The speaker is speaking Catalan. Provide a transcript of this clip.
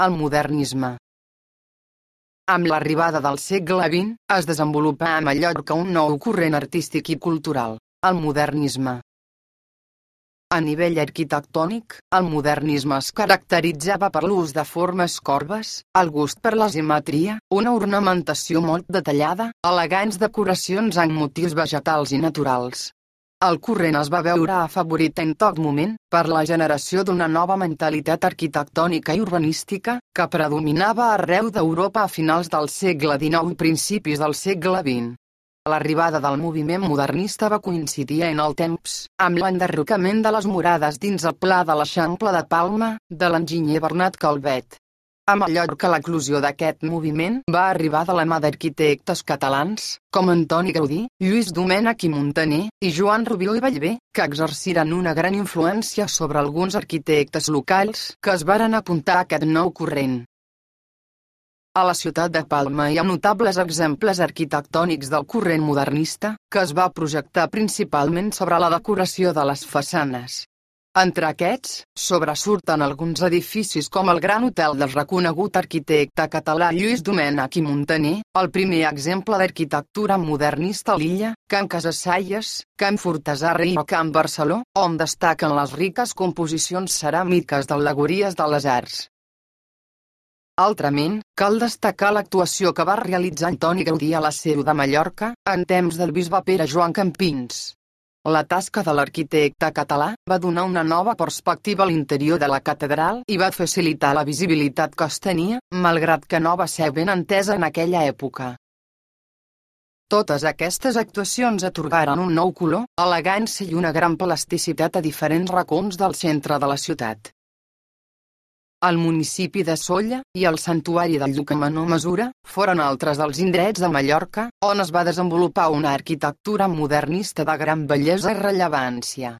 El modernisme. Amb l'arribada del segle XX, es desenvolupà a Mallorca un nou corrent artístic i cultural, el modernisme. A nivell arquitectònic, el modernisme es caracteritzava per l'ús de formes corbes, el gust per la simetria, una ornamentació molt detallada, elegants decoracions amb motius vegetals i naturals. El corrent es va veure afavorit en tot moment per la generació d'una nova mentalitat arquitectònica i urbanística que predominava arreu d'Europa a finals del segle XIX i principis del segle XX. L'arribada del moviment modernista va coincidir en el temps amb l'enderrocament de les murades dins el Pla de l'Eixample de Palma, de l'enginyer Bernat Calvet. A Mallorca l'eclosió d'aquest moviment va arribar de la mà d'arquitectes catalans, com Antoni Gaudí, Lluís Domènech i Muntaner, i Joan Rubió i Bellver, que exerciren una gran influència sobre alguns arquitectes locals que es varen apuntar a aquest nou corrent. A la ciutat de Palma hi ha notables exemples arquitectònics del corrent modernista, que es va projectar principalment sobre la decoració de les façanes. Entre aquests, sobresurten alguns edificis com el Gran Hotel del reconegut arquitecte català Lluís Domènech i Muntaner, el primer exemple d'arquitectura modernista a l'illa, Can Casassaies, Can Fortesarra i Can Barceló, on destaquen les riques composicions ceràmiques d'al·legories de les arts. Altrament, cal destacar l'actuació que va realitzar Antoni Gaudí a la Seu de Mallorca, en temps del bisbe Pere Joan Campins. La tasca de l'arquitecte català va donar una nova perspectiva a l'interior de la catedral i va facilitar la visibilitat que es tenia, malgrat que no va ser ben entesa en aquella època. Totes aquestes actuacions atorgaren un nou color, elegància i una gran plasticitat a diferents racons del centre de la ciutat. El municipi de Sóller i el santuari del Lluc a menor mesura foren altres dels indrets de Mallorca on es va desenvolupar una arquitectura modernista de gran bellesa i rellevància.